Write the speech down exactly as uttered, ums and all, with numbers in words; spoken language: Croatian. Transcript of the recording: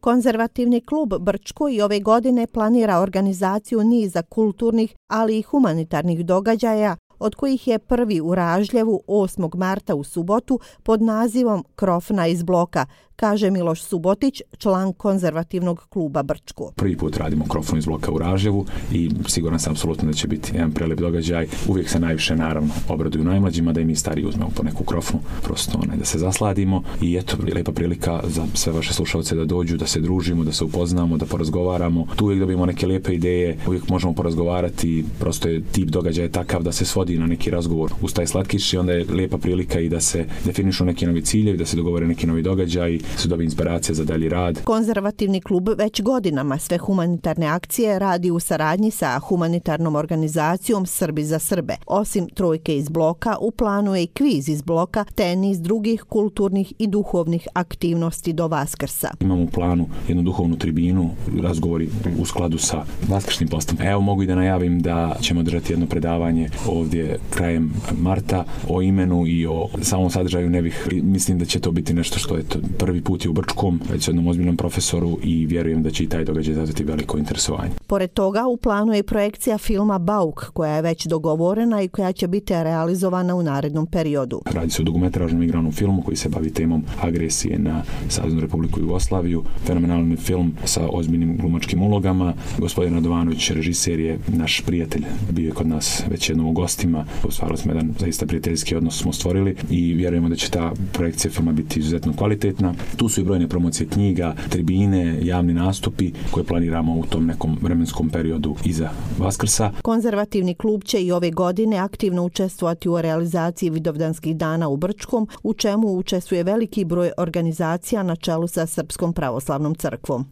Konzervativni klub Brčko i ove godine planira organizaciju niza kulturnih, ali i humanitarnih događaja, od kojih je prvi u Ražljevu osmog marta u subotu pod nazivom Krofna iz bloka, kaže Miloš Subotić, član Konzervativnog kluba Brčko. Prvi put radimo Krofnu iz bloka u Ražljevu i siguran sam apsolutno da će biti jedan prelep događaj. Uvijek se najviše naravno obraduju najmlađima, da i mi stariji uzmemo po neku krofnu, prosto onaj, da se zasladimo i eto, lepa prilika za sve vaše slušalce da dođu, da se družimo, da se upoznamo, da porazgovaramo. Tu uvijek dobijemo neke lijepe ideje, uvijek možemo porazgovarati, prosto je tip događaja takav da se svodi na neki razgovor uz taj slatkiš i onda je lijepa prilika i da se definišu neki novi ciljevi, da se dogovore neki novi događaji, su dobije inspiracija za dalji rad. Konzervativni klub već godinama sve humanitarne akcije radi u saradnji sa humanitarnom organizacijom Srbi za Srbe. Osim trojke iz bloka, u planu je i kviz iz bloka, te niz drugih kulturnih i duhovnih aktivnosti do Vaskrsa. Imamo u planu jednu duhovnu tribinu, razgovori u skladu sa vaskršnim postom. Evo mogu i da najavim da ćemo držati jedno predavanje ovdje krajem marta o imenu i o samom sadržaju. Ne bih, mislim da će to biti nešto što je prvi put je u Brčkom, već jednom ozbiljnom profesoru i vjerujem da će i taj događaj izazvati veliko interesovanje. Pored toga, u planu je i projekcija filma Bauk, koja je već dogovorena i koja će biti realizovana u narednom periodu. Radi se o dugometražnom igranom filmu koji se bavi temom agresije na Saveznu Republiku Jugoslaviju. Fenomenalni film sa ozbiljnim glumačkim ulogama. Gospodin Radovanović, režiser, je naš prijatelj, bio je kod nas već jednom u gostima. Stvarno smo jedan zaista prijateljski odnos smo stvorili i vjerujemo da će ta projekcija filma biti izuzetno kvalitetna. Tu su i brojne promocije knjiga, tribine, javni nastupi koje planiramo u tom nekom vremenskom periodu iza Vaskrsa. Konzervativni klub će i ove godine aktivno učestvovati u realizaciji Vidovdanskih dana u Brčkom, u čemu učestvuje veliki broj organizacija na čelu sa Srpskom pravoslavnom crkvom.